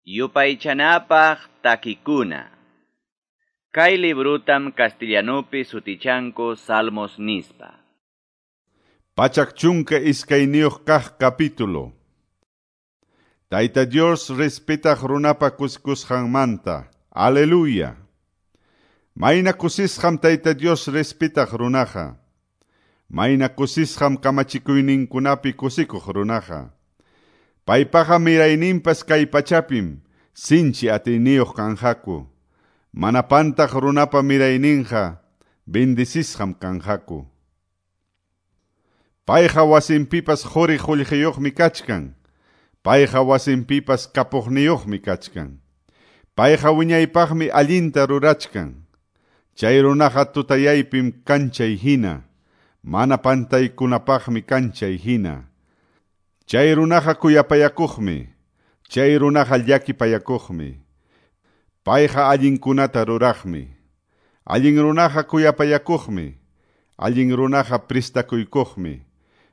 Yupaychanapaq takikuna. Kay librutam castellanupi sutichanku Salmos nispa. 122 kaq capítulo. Tayta Dios respetaq runapa kuskusqanmanta. Aleluya. Mayna kusisqam Tayta Dios respetaq runaqa. Mayna kusisqam kamachikuyninkunapi kusikuq runaqa. Paypaqa mirayninpas kay pachapim sinchi atiyniyuq kanqaku. Mana pantaq runapa mirayninqa bendecisqam kanqaku. Payqa wasinpipas quri qullqiyuqmi kachkan. Payqa wasinpipas kapuqniyuqmi kachkan. Payqa wiñaypaqmi allinta rurachkan. Chay runaqa tutayaypim kanchay hina. Mana pantaykunapaqmi kanchay hina. Chay runaqa kuyapayakuqmi. Chay runaqa llakipayakuqmi. Payqa allinkunata ruraqmi. Allin runaqa kuyapayakuqmi. Allin runaqa pristakuykuqmi.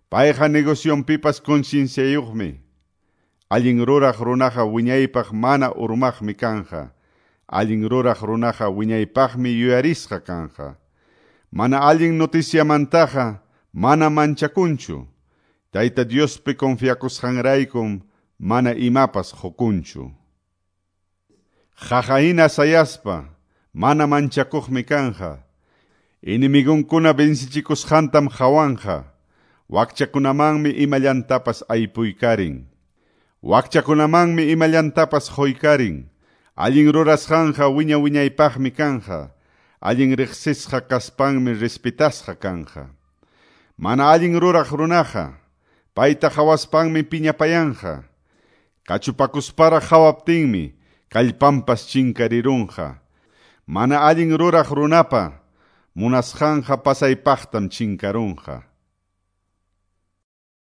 Payqa negocionpipas concienciayuqmi. Allin ruraq runaqa wiñaypaq mana urmaqmi kanja. Allin ruraq runaqa wiñaypaqmi yuyarisqa kanja. Mana allin noticiamantaqa mana manchakunchu. Tayta Diospi confiakusqanraykum mana imapas qukunchu. Qaqahina sayaspa mana manchakuqmi kanja. Enemigonkuna vencichikusqantam qhawanqa. Wakchakunamanmi imallantapas aypuykarin. Wakchakunamanmi imallantapas quykarin. Allin rurasqanqa wiña wiñaypaqmi kanja. Allin riqsisqa kaspanmi respetasqa kanja. Mana allin ruraq runaqa payta qhawaspanmi piñapayanqa. Kachupakusparaq qhawaptinmi kallpanpas chinkarirunqa. Mana allin ruraq runapa munasqanqa pasaypaqtam chinkarunqa.